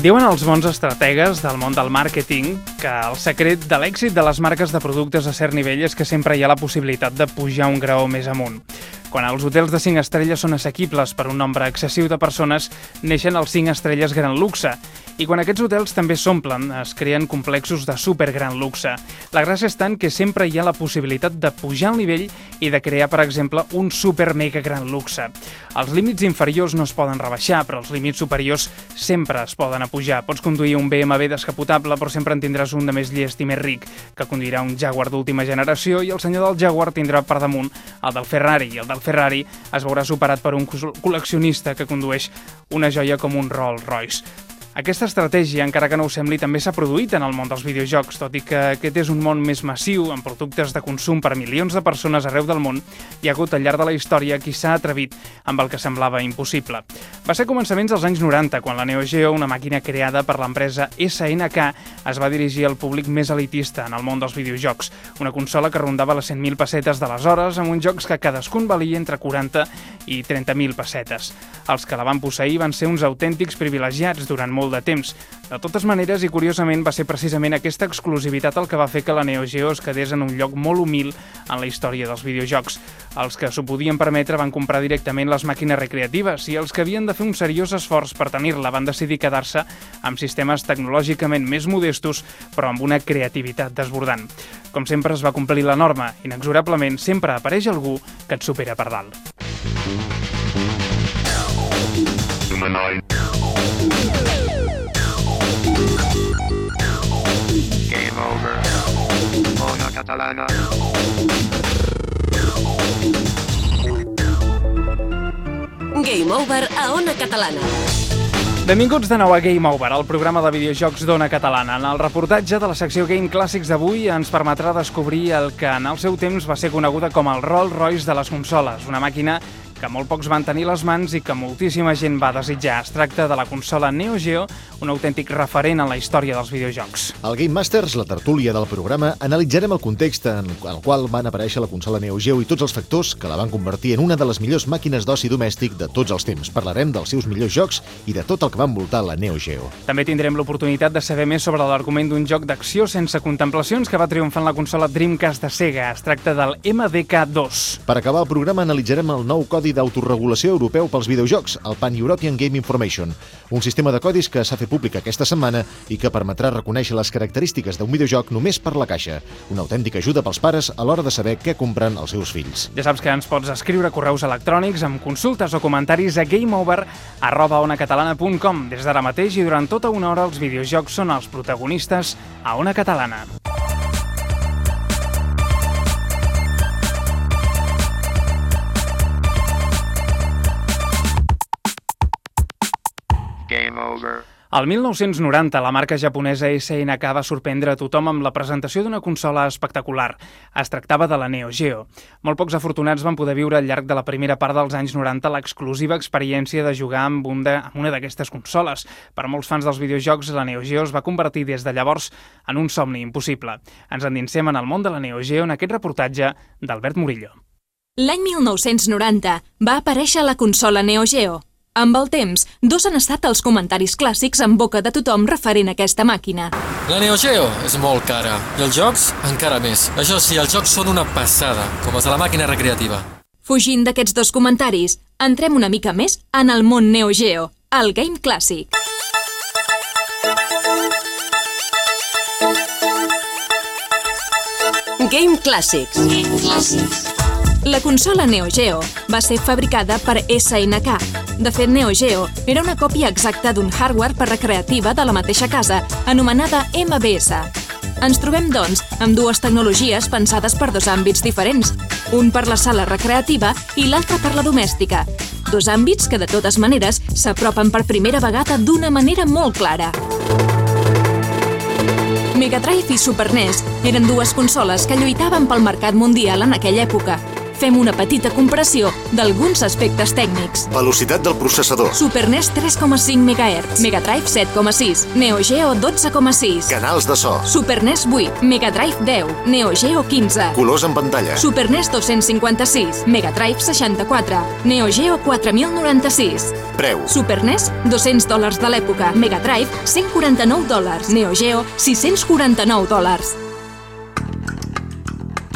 Diuen els bons estrategues del món del màrqueting que el secret de l'èxit de les marques de productes a cert nivell és que sempre hi ha la possibilitat de pujar un graó més amunt. Quan els hotels de 5 estrelles són assequibles per un nombre excessiu de persones, neixen els 5 estrelles gran luxe. I quan aquests hotels també s'omplen, es creen complexos de supergran luxe. La gràcia és tant que sempre hi ha la possibilitat de pujar el nivell i de crear, per exemple, un super mega gran luxe. Els límits inferiors no es poden rebaixar, però els límits superiors sempre es poden pujar. Pots conduir un BMW descapotable, però sempre en tindràs un de més llest i més ric, que conduirà un Jaguar d'última generació, i el senyor del Jaguar tindrà per damunt el del Ferrari, i el del Ferrari es veurà superat per un col·leccionista que condueix una joia com un Rolls Royce. Aquesta estratègia, encara que no ho sembli, també s'ha produït en el món dels videojocs, tot i que aquest és un món més massiu, amb productes de consum per milions de persones arreu del món. Hi ha hagut al llarg de la història qui s'ha atrevit amb el que semblava impossible. Va ser a començaments dels anys 90, quan la Neo Geo, una màquina creada per l'empresa SNK, es va dirigir al públic més elitista en el món dels videojocs. Una consola que rondava les 100.000 pessetes d'aleshores, amb uns jocs que cadascun valia entre 40 i 30.000 pessetes. Els que la van posseir van ser uns autèntics privilegiats durant molt de temps. De totes maneres, i curiosament, va ser precisament aquesta exclusivitat el que va fer que la Neo Geo es quedés en un lloc molt humil en la història dels videojocs. Els que s'ho podien permetre van comprar directament les màquines recreatives i els que havien de fer un seriós esforç per tenir-la van decidir quedar-se amb sistemes tecnològicament més modestos, però amb una creativitat desbordant. Com sempre es va complir la norma, inexorablement sempre apareix algú que et supera per dalt. Game over. Ona Catalana. Game over a Ona Catalana. Benvinguts de nou a Game Over, el programa de videojocs d'Ona Catalana. En el reportatge de la secció Game Clàssics d'avui ens permetrà descobrir el que en el seu temps va ser coneguda com el Rolls Royce de les consoles, una màquina que molt pocs van tenir les mans i que moltíssima gent va desitjar. Es tracta de la consola Neo Geo, un autèntic referent en la història dels videojocs. Al Game Masters, la tertúlia del programa, analitzarem el context en el qual van aparèixer la consola Neo Geo i tots els factors que la van convertir en una de les millors màquines d'oci domèstic de tots els temps. Parlarem dels seus millors jocs i de tot el que va envoltar la Neo Geo. També tindrem l'oportunitat de saber més sobre l'argument d'un joc d'acció sense contemplacions que va triomfar en la consola Dreamcast de Sega. Es tracta del MDK2. Per acabar el programa analitzarem el nou codi d'autoregulació europeu pels videojocs, el Pan-European Game Information, un sistema de codis que s'ha fet públic aquesta setmana i que permetrà reconèixer les característiques d'un videojoc només per la caixa. Una autèntica ajuda pels pares a l'hora de saber què compren els seus fills. Ja saps que ens pots escriure correus electrònics amb consultes o comentaris a gameover@onacatalana.com. Des d'ara mateix i durant tota una hora els videojocs són els protagonistes a Ona Catalana. Game over. Al 1990, la marca japonesa SNK va sorprendre a tothom amb la presentació d'una consola espectacular. Es tractava de la Neo Geo. Molt pocs afortunats van poder viure al llarg de la primera part dels anys 90 l'exclusiva experiència de jugar amb una d'aquestes consoles. Per molts fans dels videojocs, la Neo Geo es va convertir des de llavors en un somni impossible. Ens endinsem en el món de la Neo Geo en aquest reportatge d'Albert Murillo. L'any 1990 va aparèixer la consola Neo Geo. Amb el temps, dos han estat els comentaris clàssics en boca de tothom referent a aquesta màquina. La Neo Geo és molt cara, i els jocs encara més. Això sí, els jocs són una passada, com els de la màquina recreativa. Fugint d'aquests dos comentaris, entrem una mica més en el món Neo Geo, el Game Clàssic. Game Clàssics. La consola Neo Geo va ser fabricada per SNK. De fet, Neo Geo era una còpia exacta d'un hardware per recreativa de la mateixa casa, anomenada MBS. Ens trobem, doncs, amb dues tecnologies pensades per dos àmbits diferents, un per la sala recreativa i l'altre per la domèstica. Dos àmbits que, de totes maneres, s'apropen per primera vegada d'una manera molt clara. Mega Drive i Super NES eren dues consoles que lluitaven pel mercat mundial en aquella època. fem una petita comparació d'alguns aspectes tècnics. Velocitat del processador. Super NES 3,5 MHz, Mega Drive 7,6, Neo Geo 12,6. Canals de so. Super NES 8, Mega Drive 10, Neo Geo 15. Colors en pantalla. Super NES 256, Mega Drive 64, Neo Geo 4096. Preu. Super NES, $200 de l'època, Mega Drive, $149, Neo Geo, $649.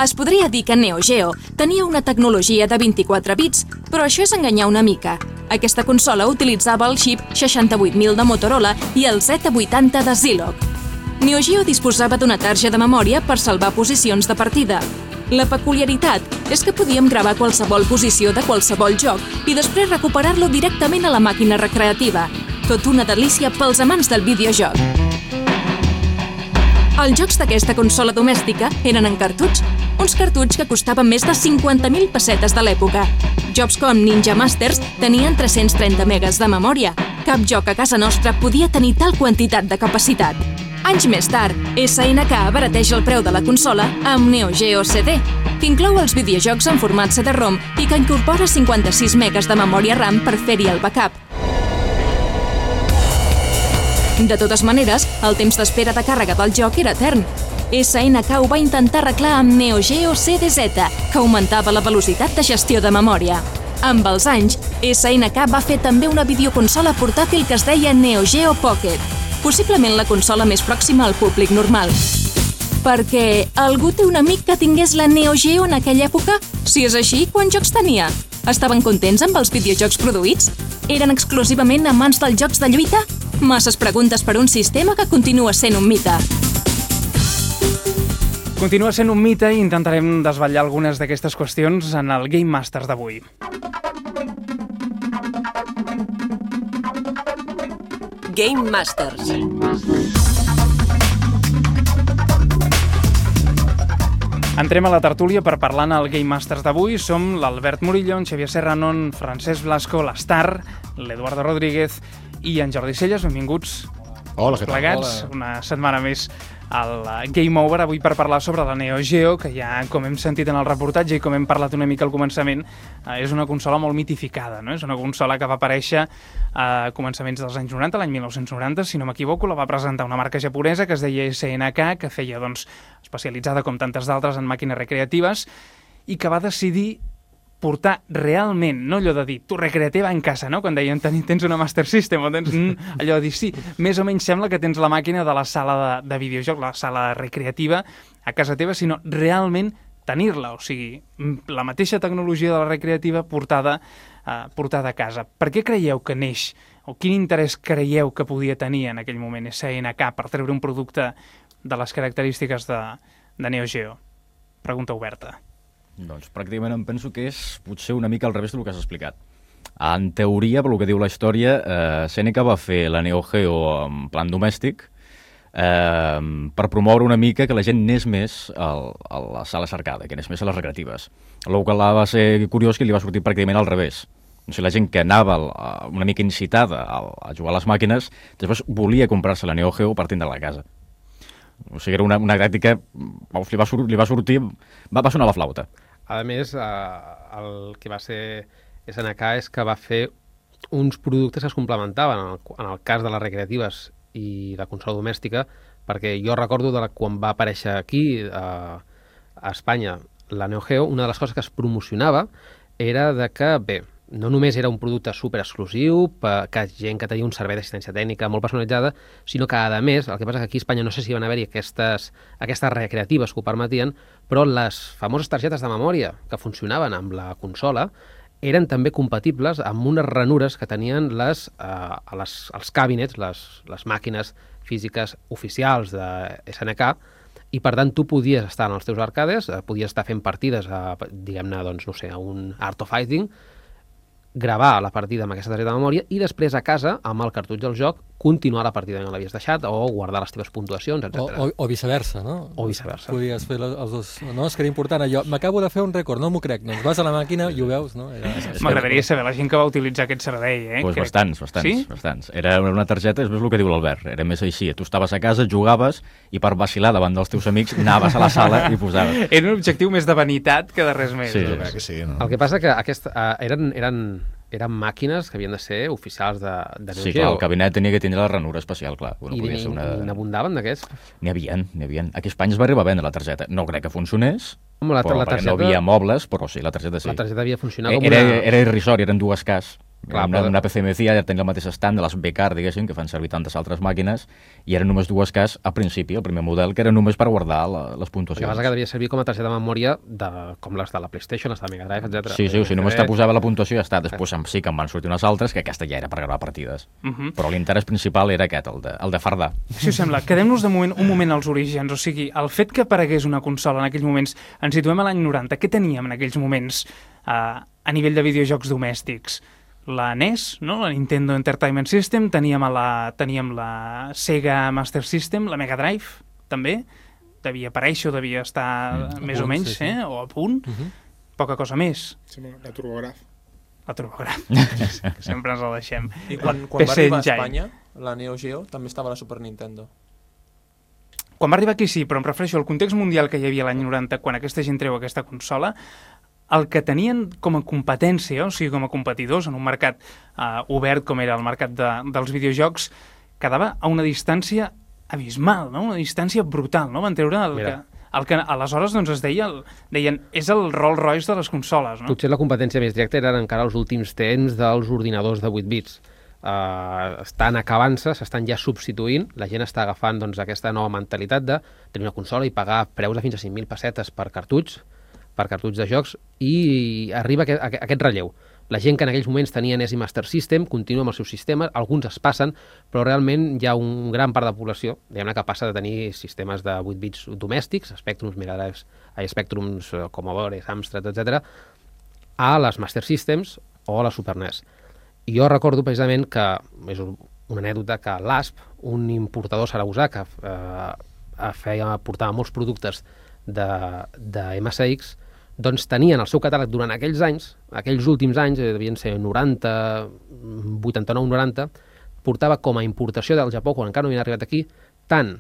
Es podria dir que Neo Geo tenia una tecnologia de 24 bits, però això és enganyar una mica. Aquesta consola utilitzava el xip 68000 de Motorola i el Z80 de Zilog. Neo Geo disposava d'una tarja de memòria per salvar posicions de partida. La peculiaritat és que podíem gravar qualsevol posició de qualsevol joc i després recuperar-lo directament a la màquina recreativa. Tot una delícia pels amants del videojoc. Els jocs d'aquesta consola domèstica eren en cartutx, uns cartutx que costaven més de 50.000 pessetes de l'època. Jocs com Ninja Masters tenien 330 megas de memòria. Cap joc a casa nostra podia tenir tal quantitat de capacitat. Anys més tard, SNK abarateja el preu de la consola amb Neo Geo CD, que inclou els videojocs en format CD-ROM i que incorpora 56 megas de memòria RAM per fer-hi el backup. De totes maneres, el temps d'espera de càrrega del joc era etern. SNK ho va intentar arreglar amb Neo Geo CDZ, que augmentava la velocitat de gestió de memòria. Amb els anys, SNK va fer també una videoconsola portàtil que es deia Neo Geo Pocket, possiblement la consola més pròxima al públic normal. Perquè algú té un amic que tingués la Neo Geo en aquella època? Si és així, quants jocs tenia? Estaven contents amb els videojocs produïts? Eren exclusivament amants dels jocs de lluita? Masses preguntes per un sistema que continua sent un mite. Continua sent un mite i intentarem desvetllar algunes d'aquestes qüestions en el Game Masters d'avui. Game Masters. Entrem a la tertúlia per parlar en el Game Masters d'avui. Som l'Albert Murillo, en Xavier Serrano, en Francesc Blasco, l'Star, l'Eduardo Rodríguez i en Jordi Celles. Benvinguts. Hola, què tal? Plegats, una setmana més al Game Over, avui per parlar sobre la Neo Geo, que ja, com hem sentit en el reportatge i com hem parlat una mica al començament, és una consola molt mitificada, no? És una consola que va aparèixer a començaments dels anys 90, l'any 1990, si no m'equivoco, la va presentar una marca japonesa que es deia SNK, que feia, doncs, especialitzada com tantes d'altres en màquines recreatives, i que va decidir portar realment, no allò de dir, tu recreativa en casa, no? Quan deien, tens una Master System, o tens allò de dir, sí, més o menys sembla que tens la màquina de la sala de videojoc, la sala recreativa a casa teva, sinó realment tenir-la, o sigui, la mateixa tecnologia de la recreativa portada a casa. Per què creieu que neix, o quin interès creieu que podia tenir en aquell moment SNK per treure un producte de les característiques de Neo Geo? Pregunta oberta. Doncs pràcticament em penso que és potser una mica al revés del que has explicat. En teoria, pel que diu la història, SNK va fer la Neo Geo en plan domèstic per promoure una mica que la gent anés més a la sala arcade, que anés més a les recreatives. El que va ser curiós que li va sortir pràcticament al revés. O sigui, la gent que anava una mica incitada a jugar a les màquines, després volia comprar-se la Neo Geo partint de la casa. O sigui, era una tàctica, li va sortir, va sonar la flauta. A més, el que va ser SNK és que va fer uns productes que es complementaven en el cas de les recreatives i la consola domèstica, perquè jo recordo quan va aparèixer aquí a Espanya la Neo Geo, una de les coses que es promocionava era de que, bé, no només era un producte super exclusiu, que gent que tenia un servei d'assistència tècnica molt personalitzada, sinó que, a més, el que passa que aquí a Espanya no sé si van haver-hi aquestes recreatives que ho permetien, però les famoses targetes de memòria que funcionaven amb la consola eren també compatibles amb unes ranures que tenien els cabinets, les màquines físiques oficials de SNK, i per tant tu podies estar en els teus arcades, podies estar fent partides, diguem-ne, doncs, no sé, a un Art of Fighting, gravar la partida amb aquesta targeta de memòria i després a casa, amb el cartutx del joc, continuar la partida on l'havies deixat o guardar les teves puntuacions, etc. O viceversa, no? O viceversa. Podies fer els dos... No, és que era important allò. M'acabo de fer un rècord, no m'ho crec. Doncs vas a la màquina i ho veus, no? M'agradaria saber la gent que va utilitzar aquest servei, Pues bastants. Era una targeta, és el que diu l'Albert, era més així. Tu estaves a casa, jugaves i per vacilar davant dels teus amics anaves a la sala i posaves. Era un objectiu més de vanitat que de res més. Sí, Que sí, no? El que passa que eren màquines que havien de ser oficials de Neo Geo. Sí, clar, el cabinet tenia que tindre la ranura especial, clar. No I podia ser n'abundaven d'aquests? N'hi havia. Aquí a Espanya es va arribar a vendre la targeta. No crec que funcionés, La però targeta, no havia mobles, però sí, la targeta sí. La targeta havia funcionat com Era irrisori, eren 2Ks. Clar, una PCMC ja tenia el mateix estant de les B-Car, diguéssim, que fan servir tantes altres màquines, i eren només 2Ks al principi, el primer model, que era només per guardar les puntuacions. El que passa que devia servir com a targeta de memòria com les de la PlayStation, les de Mega Drive, etc. Sí, o sigui, només te posava la puntuació i ja està. Després sí que en van sortir unes altres, que aquesta ja era per gravar partides. Però l'interès principal era aquest, el de fardar. Si us sembla, quedem-nos un moment als orígens. O sigui, el fet que aparegués una consola en aquells moments, ens situem a l'any 90, què teníem en aquells moments a nivell de videojocs domèstics? La NES, no? La Nintendo Entertainment System, teníem la Sega Master System, la Mega Drive, també, devia aparèixer o devia estar més o menys, sí. O a punt, poca cosa més. Sí, la TurboGraf. La TurboGraf, que sempre ens la deixem. I quan va arribar a Espanya, la Neo Geo, també estava a la Super Nintendo. Quan va arribar aquí sí, però em refereixo al context mundial que hi havia l'any 90, quan aquesta gent treu aquesta consola, el que tenien com a competència, o sigui, com a competidors en un mercat obert com era el mercat dels videojocs, quedava a una distància abismal, no? Una distància brutal, no? Van treure el que aleshores doncs, deien és el Rolls Royce de les consoles, no? Potser la competència més directa eren encara els últims temps dels ordinadors de 8 bits. Estan acabant-se, s'estan ja substituint, la gent està agafant doncs, aquesta nova mentalitat de tenir una consola i pagar preus de fins a 5.000 pessetes per cartutx de jocs, i arriba aquest relleu. La gent que en aquells moments tenia NES i Master System continua amb els seus sistemes, alguns es passen, però realment hi ha un gran part de població que passa de tenir sistemes de 8 bits domèstics, Spectrums, Mega Drives, Spectrums, Commodore, Amstrad, etc., a les Master Systems o a la Super NES. I jo recordo precisament que, és una anècdota, que l'ASP, un importador sarausà que portava molts productes de MSX, doncs tenien el seu catàleg durant aquells anys, aquells últims anys, devien ser 90, 89-90, portava com a importació del Japó, quan encara no havien arribat aquí, tant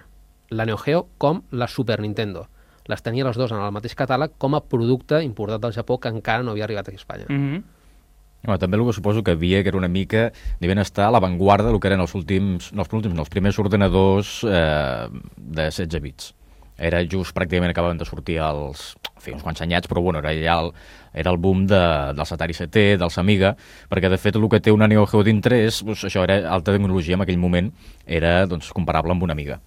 la Neo Geo com la Super Nintendo. Les tenia les dues en el mateix catàleg com a producte importat del Japó que encara no havia arribat aquí a Espanya. També el que suposo que havia, que era una mica, devien estar a l'avantguarda del que eren els primers ordenadors de 16 bits. Era just pràcticament acabaven de sortir uns quants anyats, però bueno, era el boom dels Atari ST, dels Amiga, perquè de fet el que té una Neo Geo dintre és, això era alta tecnologia en aquell moment, era comparable amb una Amiga.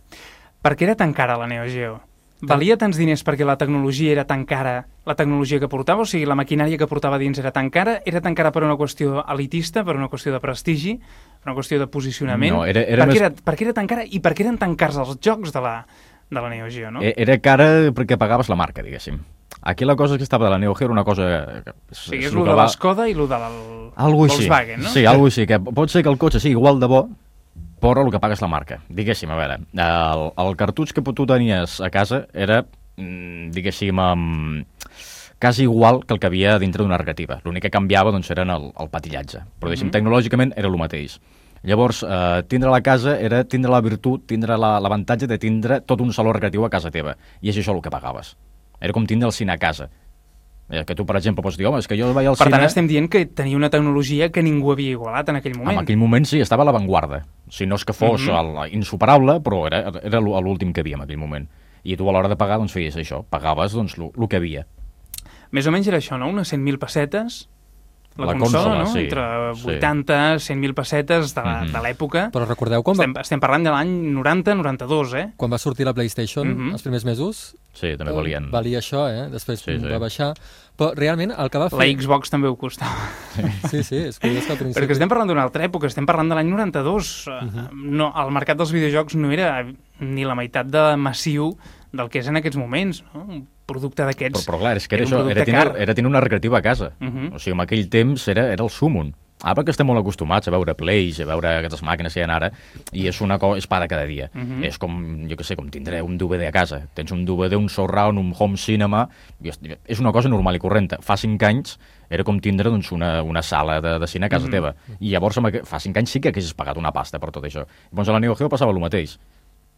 Per què era tan cara la Neo Geo? Valia tants diners perquè la tecnologia era tan cara, la tecnologia que portava, o sigui, la maquinària que portava dins era tan cara per una qüestió elitista, per una qüestió de prestigi, per una qüestió de posicionament? No, per què era tan cara i per què eren tan cars els jocs de la Neo Geo, no? Era cara perquè pagaves la marca, diguéssim. Aquí la cosa que estava de la Neo Geo era una cosa... Sí, és el de l'Skoda i el de Volkswagen, no? Sí, alguna així, que pot ser que el cotxe sigui igual de bo, però el que paga és la marca. Diguéssim, a veure, el cartutx que tu tenies a casa era, diguéssim, quasi igual que el que havia dintre d'una negativa. L'únic que canviava doncs, eren el patillatge, però diguéssim, tecnològicament era el mateix. Llavors, tindre la casa era tindre la virtut, tindre l'avantatge de tindre tot un saló recreatiu a casa teva, i és això el que pagaves. Era com tindre el cine a casa. Que tu, per exemple, pots dir, home, és que jo vaig al cine... Per tant, estem dient que tenia una tecnologia que ningú havia igualat en aquell moment. En aquell moment sí, estava a l'avantguarda. Si no és que fos insuperable, però era l'últim que havia en aquell moment. I tu a l'hora de pagar, doncs, feies això. Pagaves, doncs, el que havia. Més o menys era això, no? Unes 100.000 pessetes... La consola, no? Sí. Entre 80, 100.000 pessetes de l'època. Però recordeu quan estem parlant de l'any 90-92, Quan va sortir la PlayStation, els primers mesos... Sí, també valien. Valia això, Després va baixar. Però realment el que va fer... La Xbox també ho costava. Sí, és curiós que al principi... Perquè estem parlant d'una altra època, estem parlant de l'any 92. No, el mercat dels videojocs no era ni la meitat de massiu del que és en aquests moments, no? Un producte d'aquests... Però clar, és que era això, era tenir una recreativa a casa. O sigui, en aquell temps era el súmum. perquè estem molt acostumats a veure plays, a veure aquestes màquines que hi ha ara, i és una cosa, és pa de cada dia. És com, jo què sé, com tindré un DVD a casa. Tens un DVD, un surround, un home cinema, és una cosa normal i correnta. Fa 5 anys era com tindre doncs, una sala de cine a casa teva. I llavors, fa 5 anys sí que haguessis pagat una pasta per tot això. Llavors a la Neo Geo passava el mateix.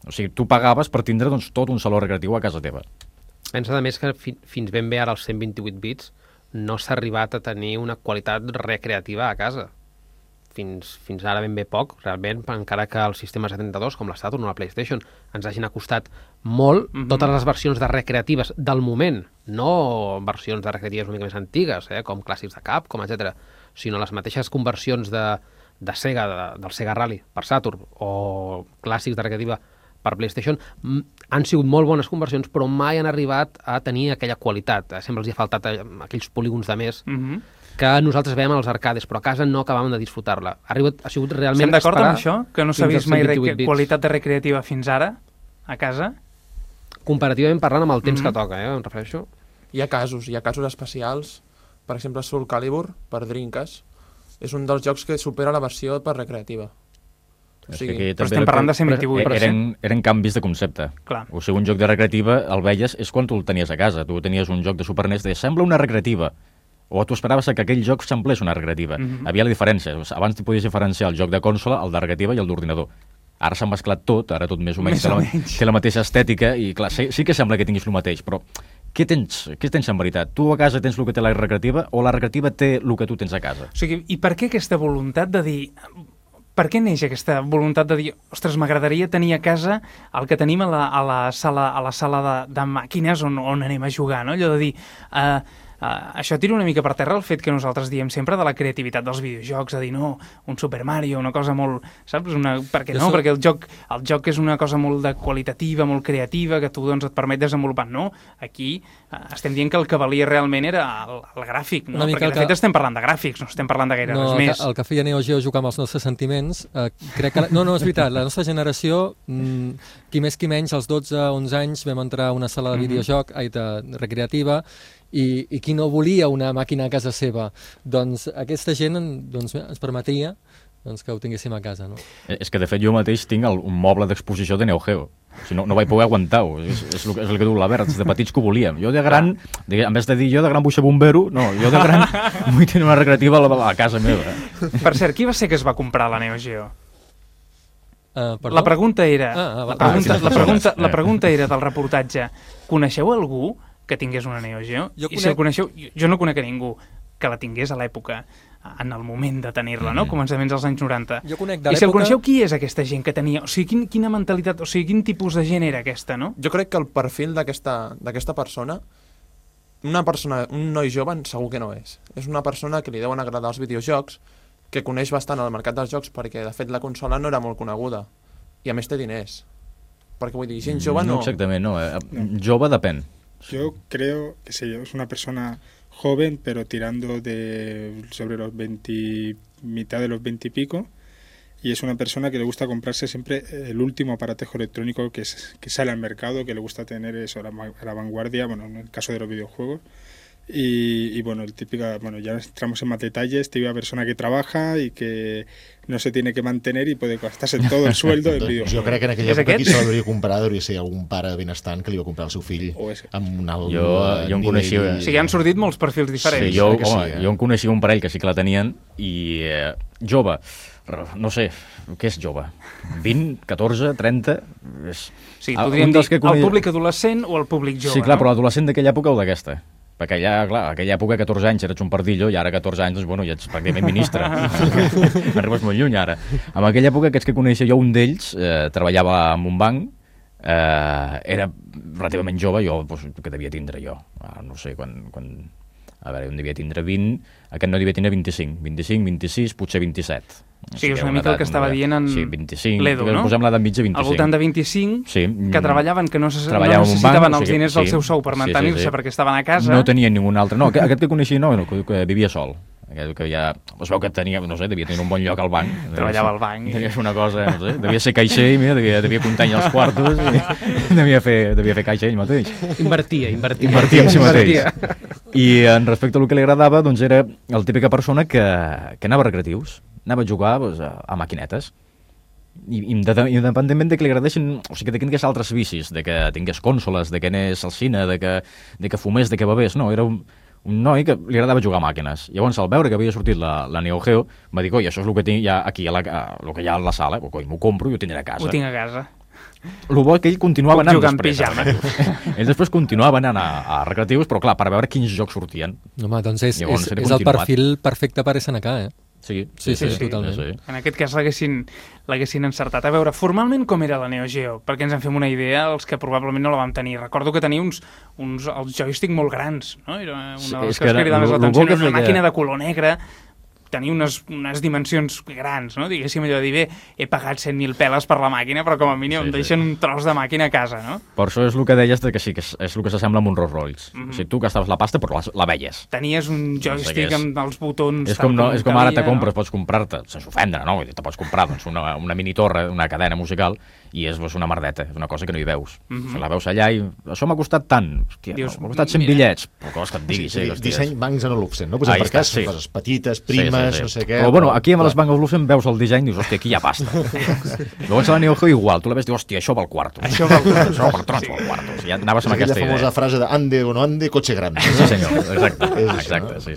O sigui, tu pagaves per tindre doncs, tot un saló recreatiu a casa teva. Pensa, a més, que fins ben bé ara als 128 bits no s'ha arribat a tenir una qualitat recreativa a casa. Fins ara ben bé poc, realment, encara que els sistemes 72, com la Saturn o la PlayStation, ens hagin acostat molt totes les versions de recreatives del moment, no versions de recreatives una mica més antigues, com clàssics de Capcom, etc., sinó les mateixes conversions de Sega, del Sega Rally per Saturn, o clàssics de recreativa per PlayStation, han sigut molt bones conversions, però mai han arribat a tenir aquella qualitat. Sempre els hi ha faltat aquells polígons de més que nosaltres veiem als arcades, però a casa no acabàvem de disfrutar-la. Ha sigut realment... Estem d'acord amb això? Que no s'ha vist mai qualitat de recreativa fins ara, a casa? Comparativament parlant amb el temps que toca, em refereixo. Hi ha casos especials. Per exemple, Soul Calibur, per Dreamcast, és un dels jocs que supera la versió per recreativa. O sigui, però estem parlant de 128. Eren canvis de concepte. Clar. O sigui, un joc de recreativa el veies és quan tu el tenies a casa. Tu tenies un joc de Super NES, deies, sembla una recreativa. O tu esperaves que aquell joc semblés una recreativa. Havia la diferència. Abans podies diferenciar el joc de consola, el de recreativa i el d'ordinador. Ara s'ha mesclat tot, ara tot més o menys té la mateixa estètica i clar, sí que sembla que tinguis el mateix, però què tens en veritat? Tu a casa tens el que té la recreativa o la recreativa té el que tu tens a casa? O sigui, i per què aquesta voluntat de dir... Per què neix aquesta voluntat de dir ostres, m'agradaria tenir a casa el que tenim a la sala de màquines on anem a jugar, no? Allò de dir... això tira una mica per terra el fet que nosaltres diem sempre de la creativitat dels videojocs, a dir, no, un Super Mario, una cosa molt... Saps? Per què no? Perquè el joc és una cosa molt qualitativa, molt creativa, que tu doncs, et permet desenvolupar. No, aquí estem dient que el que valia realment era el gràfic, no? Perquè de fet estem parlant de gràfics, no estem parlant de gaire res més. El que feia Neo Geo jugar amb els nostres sentiments, crec que... No, és veritat, la nostra generació, qui més qui menys, als 12-11 anys vam entrar a una sala de videojoc, de recreativa, i qui no volia una màquina a casa seva, doncs aquesta gent ens permetia que ho tinguéssim a casa. No? És que de fet jo mateix tinc un moble d'exposició de Neo Geo. O sigui, no vaig poder aguantar-ho. És el que diu l'Albert, de petits que ho volíem. Jo de gran, en vez de dir jo de gran vull ser bombero, no, jo de gran vull tenir una recreativa a la casa meva. Per cert, qui va ser que es va comprar la Neo Geo? La pregunta era la pregunta era del reportatge, coneixeu algú que tingués una Neo Geo? I si el coneixeu, jo no conec a ningú que la tingués a l'època, en el moment de tenir-la, no? Començaments dels anys 90. Jo conec de I si el coneixeu, qui és aquesta gent que tenia? O sigui, quina mentalitat, o sigui, quin tipus de gent era aquesta, no? Jo crec que el perfil d'aquesta persona, un noi jove, segur que no és. És una persona que li deuen agradar els videojocs, que coneix bastant el mercat dels jocs, perquè de fet la consola no era molt coneguda. I a més té diners. Perquè vull dir, gent jove no... No exactament, no. Jove depèn. Yo creo que es una persona joven, pero tirando sobre los 20, mitad de los 20 y pico, y es una persona que le gusta comprarse siempre el último aparatejo electrónico que sale al mercado, que le gusta tener eso a la vanguardia, bueno, en el caso de los videojuegos. Y bueno, ya entramos en más detalles, típica persona que trabaja y que no se tiene que mantener i puede gastarse todo el sueldo en videojuegos. Jo crec que en aquella època qui se l'hauria comprat hauria ser algun pare benestant que li va comprar el seu fill amb un alt jo en coneixia... O sigui, han sortit molts perfils diferents. Sí, jo en coneixia un parell que sí que la tenien i jove, no sé, què és jove? 20, 14, 30? Sí, podríem dir el públic adolescent o el públic jove. Sí, clar, però l'adolescent d'aquella època o d'aquesta? Perquè allà, clar, aquella època, 14 anys, eres un pardillo, i ara 14 anys, doncs, bueno, ja ets pràcticament ministre. Arribes molt lluny, ara. En aquella època, aquests que coneixia jo, un d'ells treballava en un banc, era relativament jove, jo, doncs, que devia tindre jo? No sé, quan... A veure, un devia tindre 20, aquest no devia tindre 25, 26, potser 27. Sí, és una mica el que estava dient en l'Edu, no? Posem l'edat mitja 25. Al voltant de 25, que treballaven, que no necessitaven els diners del seu sou per mantenir-se perquè estaven a casa. No tenien ningú altre. No, aquest que coneixia no, que vivia sol. Que ja es veu que tenia, no sé, devia tenir un bon lloc al banc. Treballava al banc. Devia ser una cosa, no sé, devia ser caixer i mira, devia comptar els quartos i devia fer caixa ell mateix. Invertia en si mateix. I en respecte al que li agradava, doncs era la típica persona que anava a recreatius, anava a jugar doncs, a maquinetes. I independentment de que li agradessin, o sigui, de que tingués altres vicis, de que tingués consoles, de que anés al cine, de que fumés, de que bevés, no, era un noi que li agradava jugar a màquines. Llavors, al veure que havia sortit la Neo Geo, va dir, coi, això és el que tinc ja aquí, el que hi ha a la sala, coi, m'ho compro i ho tindré a casa. Ho tinc a casa. El bo que ell continuava anant després. Ell després continuava anant a recreatius, però clar, per veure quins jocs sortien. Home, doncs és el perfil perfecte per SNK, eh? Sí, totalment. Sí. En aquest cas l'haguessin encertat. A veure, formalment com era la Neo Geo? Perquè ens en fem una idea, els que probablement no la vam tenir. Recordo que tenia els joystick molt grans, no? Era una de les coses que cridava més l'atenció. Era una màquina de color negre, tenia unes dimensions grans, no? Diguéssim allò de dir, bé, he pagat 100.000 peles per la màquina, però com a mínim em deixen un tros de màquina a casa, no? Per això és el que deies que sí, que és el que s'assembla amb un Rolls Royce. O sigui, tu gastaves la pasta però la veies. Tenies un joystick amb els botons... És com ara te compres, pots comprar-te, sense ofendre, no? Te pots comprar una mini torre, una cadena musical, i és una merdeta, és una cosa que no hi veus. La veus allà i això m'ha costat tant. Hòstia, m'ha costat 100 bitllets. Però coses que et diguis, disseny Bancs Olufsen, no? Per cas, són coses petites, primes, no sé què... Però bueno, aquí amb les Bancs Olufsen veus el disseny i dius, hòstia, aquí hi ha pasta. Llavors a la Neo Geo igual, tu la ves i dius, hòstia, això val quarto. Això val quarto. O sigui, ja anaves amb aquesta idea. Aquella famosa frase de ande o no ande, cotxe gran. Sí, senyor, exacte, sí.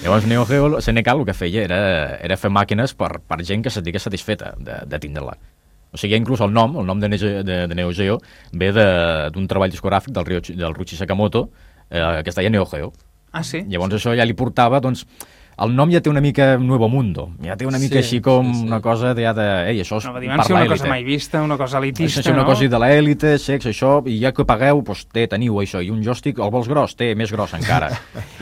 Llavors Neo Geo, SNK el que feia era fer màquines per gent que s'estigués satisfeta de tindre-la. O sigui, inclús el nom de Neo Geo ve d'un treball discogràfic del Ruichi Sakamoto que es deia Neo Geo. Ah, sí? Llavors això ja li portava, doncs, el nom ja té una mica Nuevo Mundo, ja té una mica així com una cosa de ei, això és per l'élite. Una cosa mai vista, una cosa elitista, no? Una cosa de l'élite, sexe, això, i ja que pagueu, doncs teniu això, i un joystick, el vols gros? Té més gros encara.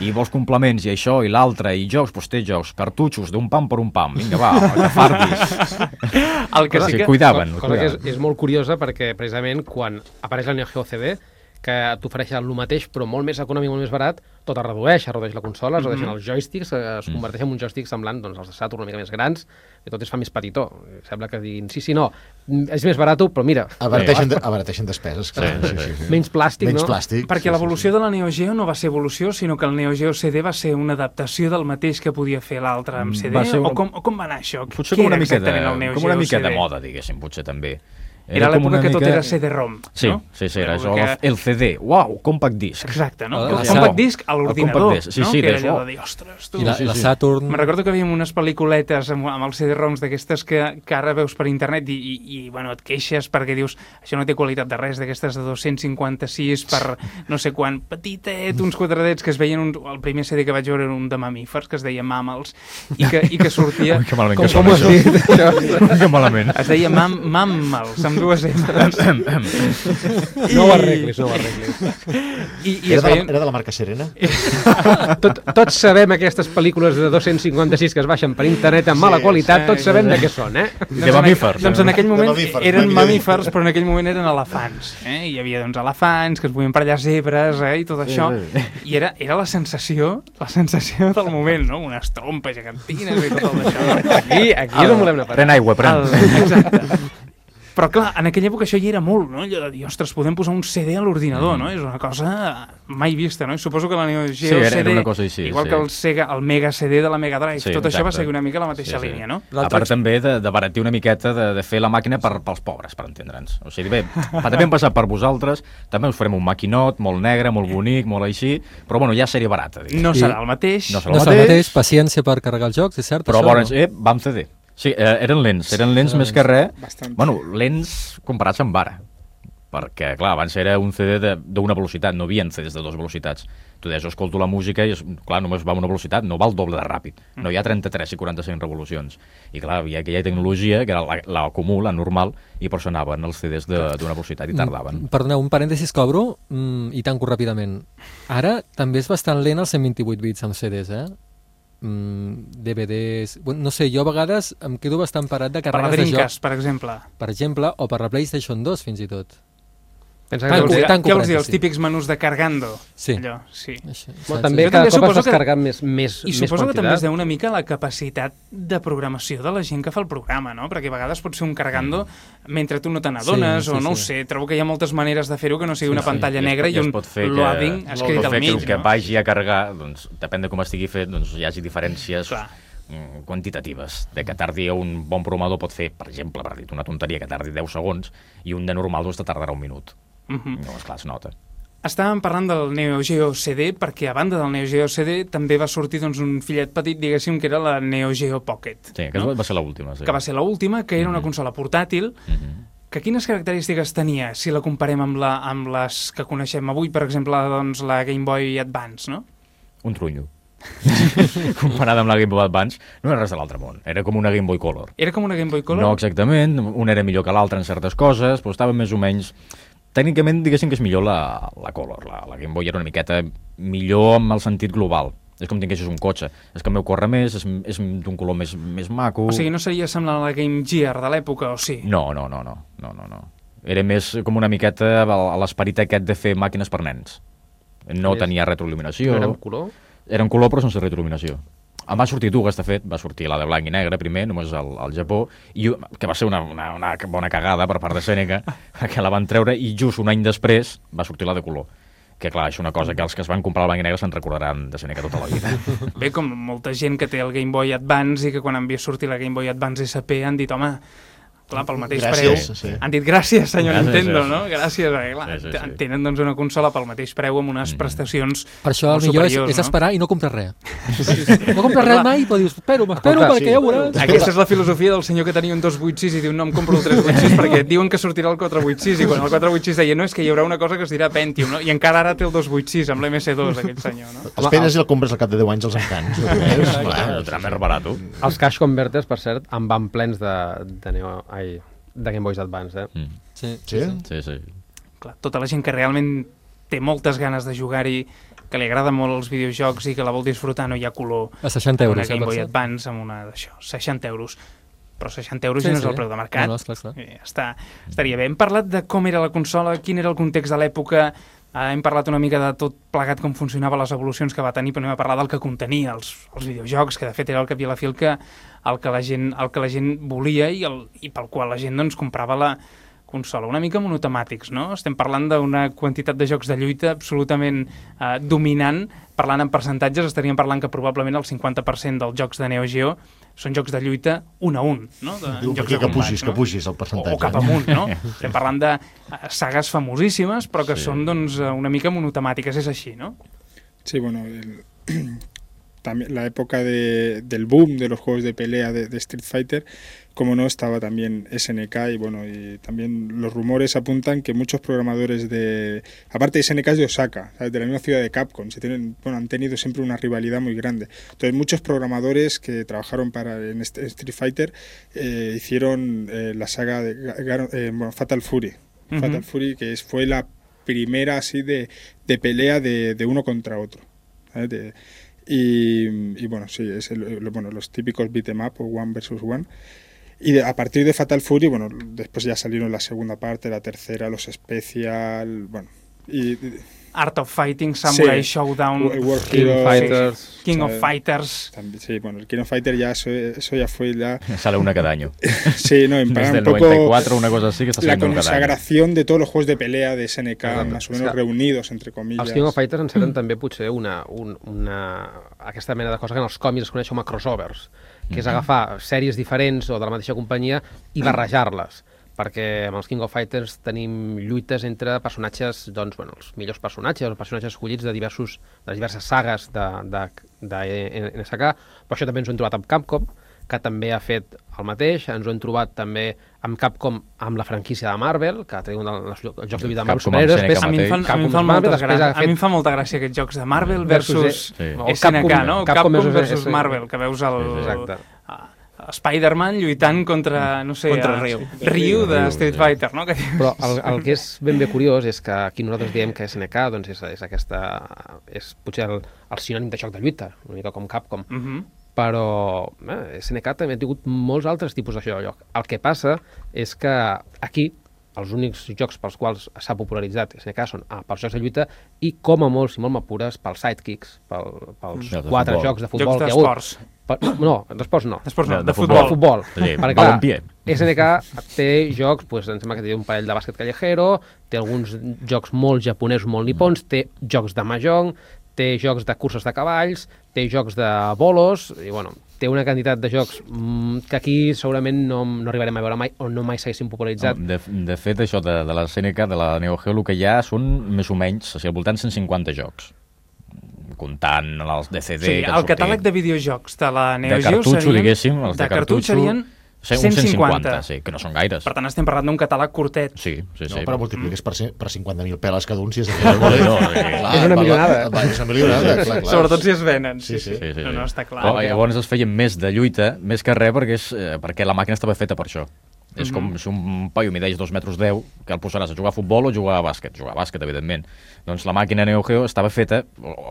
I vols complements, i això, i l'altre, i jocs, doncs té jocs, cartutxos, d'un pam per un pam, vinga, va, que fardis. El que sí que... Cuidaven. Cosa que és molt curiosa, perquè precisament quan apareix la Neo Geo CD, que t'ofereix el mateix, però molt més econòmic, molt més barat, tot es redueix la consola, es redueixen els joysticks, es converteix en un joystick semblant els de Saturn una mica més grans, i tot es fa més petitó. Sembla que diguin, sí, no, és més barat, però mira... Abarateixen despeses. Menys plàstic, no? Perquè l'evolució de la Neo Geo no va ser evolució, sinó que el Neo Geo CD va ser una adaptació del mateix que podia fer l'altre amb CD, o com va anar això? Potser com una mica de moda, diguéssim, potser també. Era l'època que tot era CD-ROM, no? Sí, era això, el CD, uau, compact disc. Exacte, no? El compact disc a l'ordinador, no? Que era allò de dir, ostres, tu... I la Saturn... Me'n recordo que havíem unes pel·lículetes amb els CD-ROMs d'aquestes que ara veus per internet i bueno, et queixes perquè dius, això no té qualitat de res, d'aquestes de 256 per no sé quan, petitet, uns quadradets que es veien... El primer CD que vaig veure era un de mamífers, que es deia Mammals, i que sortia... Ui, que malament que sona això. Que malament. Es deia Mammals, amb dues entres. No ho arreglis. Era de la marca Serena? Tots sabem aquestes pel·lícules de 256 que es baixen per internet amb mala qualitat, tots sabem de què són, eh? De mamífers. Doncs en aquell moment eren mamífers, però en aquell moment eren elefants. Hi havia elefants que es movien per allà, zebres i tot això. I era la sensació del moment, no? Unes trompes gegantines i tot el d'això. Aquí és on volem anar. Pren aigua, pren. Exacte. Però clar, en aquella època això hi era molt, no? Allò de dir, ostres, podem posar un CD a l'ordinador, no? És una cosa mai vista, no? I suposo que la Neo Geo CD, una cosa així, igual que el Mega CD de la Mega Drive, tot això va seguir una mica la mateixa línia, no? A part també d'abaratir una miqueta de fer la màquina pels pobres, per entendre'ns. O sigui, bé, també hem passat per vosaltres, també us farem un maquinot molt negre, molt bonic, molt així, però bueno, ja seria barata. No serà el mateix. No serà el mateix, paciència per carregar els jocs, és cert, però això, vam CD. Sí, eren lents més que res. Bueno, lents comparats amb ara. Perquè, clar, abans era un CD d'una velocitat, no hi havia CDs de dues velocitats. Tu deies, escolto la música i, clar, només va a una velocitat, no va el doble de ràpid. No hi ha 33 i 45 revolucions. I, clar, hi havia aquella tecnologia, que era la comú, la normal, i per això anaven els CDs d'una velocitat i tardaven. Perdoneu, un parèntesis que obro i tanco ràpidament. Ara també és bastant lent els 128 bits amb CDs, DVDs... No sé, jo a vegades em quedo bastant parat de carregues de jocs. Per la Dreamcast, per exemple. Per exemple, o per la PlayStation 2, fins i tot. Pensa Què vols tanco dir? Els típics menús de cargando? Sí. Allò, sí. També cada cop has descarregat més quantitat. I suposo que també es deu una mica a la capacitat de programació de la gent que fa el programa, no? Perquè a vegades pot ser un cargando mentre tu no te n'adones, o no ho sé. Trobo que hi ha moltes maneres de fer-ho que no sigui una pantalla negra i un loading escrit al mig. Que vagi a carregar, doncs, depèn de com estigui fet, doncs hi hagi diferències quantitatives. De que tardi un bon programador pot fer, per exemple, per dir una tonteria, que tardi 10 segons, i un de normal doncs te tardarà un minut. No, esclar, es nota. Estàvem parlant del Neo Geo CD perquè a banda del Neo Geo CD també va sortir doncs, un fillet petit, diguéssim, que era la Neo Geo Pocket. Sí, que va ser l'última. Sí. Que va ser l'última, que era una consola portàtil, que quines característiques tenia si la comparem amb les que coneixem avui, per exemple, doncs, la Game Boy Advance, no? Un trunyo. Comparada amb la Game Boy Advance, no era res de l'altre món. Era com una Game Boy Color. Era com una Game Boy Color? No exactament, una era millor que l'altra en certes coses, però estava més o menys... Tècnicament, diguéssim que és millor la Color. La Game Boy era una miqueta millor amb el sentit global. És com tinguessis un cotxe. És que el meu corre més, és d'un color més maco... O sigui, no seria semblant a la Game Gear de l'època, o sí? No. Era més com una miqueta a l'esperit aquest de fer màquines per nens. No tenia retroil·luminació. No era en color? Era en color però sense retroil·luminació. En va sortir dues, de fet, va sortir la de blanc i negre primer, només al Japó, que va ser una bona cagada per part de Seneca, que la van treure i just un any després va sortir la de color. Que clar, és una cosa que els que es van comprar el blanc i negre se'n recordaran de Seneca tota la vida. Bé, com molta gent que té el Game Boy Advance i que quan han vist sortir la Game Boy Advance SP han dit, home, clar, pel mateix preu. Han dit gràcies, senyor Nintendo, no? Gràcies, clar, tenen doncs una consola pel mateix preu amb unes prestacions per això el millor és esperar i no comprar res. No comprar res mai, però dius, m'espero perquè ja ho veuràs. Aquesta és la filosofia del senyor que tenia un 286 i diu, no, em compro el 386 perquè diuen que sortirà el 486 i quan el 486 deia, no, és que hi haurà una cosa que es dirà Pentium, no? I encara ara té el 286 amb l'MS2, aquell senyor, no? Esperes i el compres al cap de 10 anys als encants. El tram és barat. Els cash converters, per cert, en van plens de Game Boys Advance, Sí. Clar, tota la gent que realment té moltes ganes de jugar-hi, que li agrada molt els videojocs i que la vol disfrutar, no hi ha color. A 60 euros. Una Game Boy Advance amb una d'això, 60 euros. Però 60 euros ja no és el preu de mercat. No, esclar. Estaria bé. Hem parlat de com era la consola, quin era el context de l'època, hem parlat una mica de tot plegat com funcionava, les evolucions que va tenir, però anem a parlar del que contenia els videojocs, que de fet era el cap i a la fi el que la gent volia i pel qual la gent doncs, comprava la consola. Una mica monotemàtics, no? Estem parlant d'una quantitat de jocs de lluita absolutament dominant. Parlant en percentatges, estaríem parlant que probablement el 50% dels jocs de Neo Geo són jocs de lluita 1 a 1, no? Que pugis el percentatge. O cap amunt, no? Estem parlant de sagues famosíssimes, però que són doncs, una mica monotemàtiques, és així, no? Sí, bueno, también la época del boom de los juegos de pelea de Street Fighter, como no, estaba también SNK y bueno, y también los rumores apuntan que muchos programadores aparte de SNK es de Osaka, ¿sabes? De la misma ciudad de Capcom, han tenido siempre una rivalidad muy grande. Entonces muchos programadores que trabajaron en Street Fighter hicieron la saga de Fatal Fury. Fatal Fury, que fue la primera así de pelea de uno contra otro, ¿sabes? Y bueno, sí, es los típicos beat'em up o one versus one. Y a partir de Fatal Fury, bueno, después ya salieron la segunda parte, la tercera, los Special, bueno, y Art of Fighting, Samurai Showdown, King of Fighters. También, sí, bueno, el King of Fighters ya eso ya fue ya... Sale una cada año. Sí, no, en Desde un el poco 94, una cosa así que está saliendo la cada año. consagración de todos los juegos de pelea de SNK, más o menos reunidos, entre comillas. Els King of Fighters enceten també potser aquesta mena de cosa que en els còmics es coneix com a crossovers, que és agafar sèries diferents o de la mateixa companyia i barrejar-les, perquè amb els King of Fighters tenim lluites entre personatges, doncs, bueno, els millors personatges, els personatges escollits de diverses sagues de NSK, però això també ens ho hem trobat amb Capcom, que també ha fet el mateix, ens ho hem trobat també amb Capcom amb la franquícia de Marvel, que té un dels jocs de lluita de Marvel superhéroes. A mi em fa molta gràcia aquests jocs de Marvel versus SNK, no? Capcom versus Marvel, que veus Spider-Man lluitant contra, no sé, contra Ryu de Street Fighter, no? Però el que és ben bé curiós és que aquí nosaltres diem que SNK doncs és potser el sinònim de joc de lluita, una mica com Capcom, però SNK també ha tingut molts altres tipus de joc. El que passa és que aquí els únics jocs pels quals s'ha popularitzat SNK són pels jocs de lluita i, com a molt, si molt m'apures, pels sidekicks, pels 4 jocs de futbol que hi ha hagut. Jocs d'esports. No, d'esports no. De futbol. Perquè, clar, SNK té jocs, em sembla que té un parell de bàsquet callejero, té alguns jocs molt japonesos, molt nipons, té jocs de mahjong, té jocs de curses de cavalls, té jocs de bolos, i bueno, té una quantitat de jocs que aquí segurament no arribarem a veure mai o no mai s'haguessin popularitzat. De fet, això de la SNK, de la Neo Geo, el que hi ha són més o menys, al voltant 150 jocs, comptant els DCD... Sí, el catàleg de videojocs de la Neo Geo serien... diguéssim, els de cartutxo serien 150. Sí, que no són gaires. Per tant, estem parlant d'un catàleg curtet. Sí. No, però multipliques per 50.000 peles cada un, si és de és una milionada. És una milionada, clar. Sobretot si es venen. Sí. No, està clar. Llavors es feien més de lluita, més que res, perquè la màquina estava feta per això. És com si un paio mideix 2,10 metres, que el posaràs a jugar a futbol o a jugar a bàsquet. Jugar a bàsquet, evidentment. Doncs la màquina Neo Geo estava feta,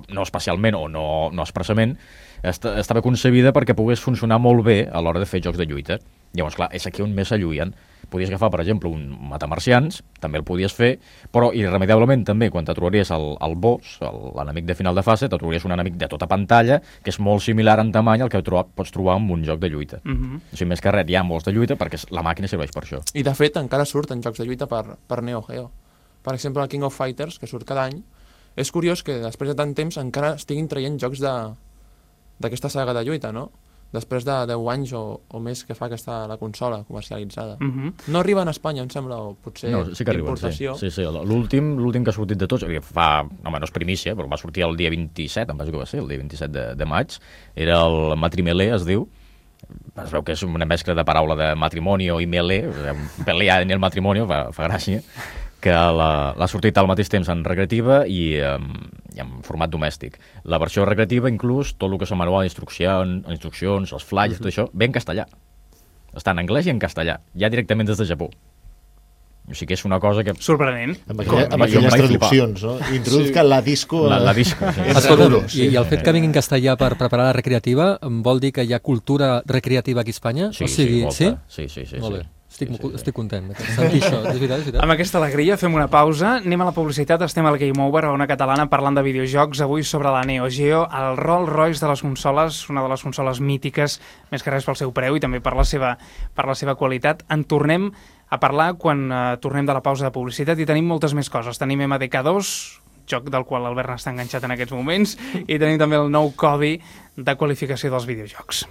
no especialment o no expressament, estava concebida perquè pogués funcionar molt bé a l'hora de fer jocs de lluita. Llavors, clar, és aquí on més s'alluien. Podies agafar, per exemple, un matamarcians, també el podies fer, però irremediablement també, quan te trobaries el boss, l'enemic de final de fase, te trobaries un enemic de tota pantalla, que és molt similar en tamany al que pots trobar en un joc de lluita. O sigui, més que res, hi ha molts de lluita perquè la màquina serveix per això. I, de fet, encara surten jocs de lluita per Neo Geo. Per exemple, el King of Fighters, que surt cada any. És curiós que després de tant temps encara estiguin traient jocs d'aquesta saga de lluita, no? Després de 10 anys o més que fa que està la consola comercialitzada. No arriba a Espanya, em sembla, o potser sí que arriben, importació. Sí. L'últim que ha sortit de tots, no és primícia, però va sortir el dia 27, em penso que va ser, el dia 27 de maig, era el Matrimelé, es diu. Es veu que és una mescla de paraula de matrimonio i melé, pelea en el matrimonio, fa gràcia, que l'ha sortit al mateix temps en recreativa i en format domèstic. La versió recreativa, inclús, tot el que és el manual d'instruccions, els flyers, tot això, ve en castellà. Està en anglès i en castellà, ja directament des de Japó. O sigui que és una cosa que... Sorprenent. Amb aquelles traduccions, no? Introduzca la disco... La disco, sí. I el fet que vingui en castellà per preparar la recreativa vol dir que hi ha cultura recreativa aquí a Espanya? Sí, molta. Sí. Molt bé. Estic content de sentir això. És veritat. Amb aquesta alegria fem una pausa, anem a la publicitat, estem al Game Over, a Ona Catalana, parlant de videojocs, avui sobre la Neo Geo, el Rolls Royce de les consoles, una de les consoles mítiques, més que res pel seu preu i també per la seva qualitat. En tornem a parlar quan tornem de la pausa de publicitat i tenim moltes més coses. Tenim MDK2, joc del qual l'Albert està enganxat en aquests moments, i tenim també el nou codi de qualificació dels videojocs.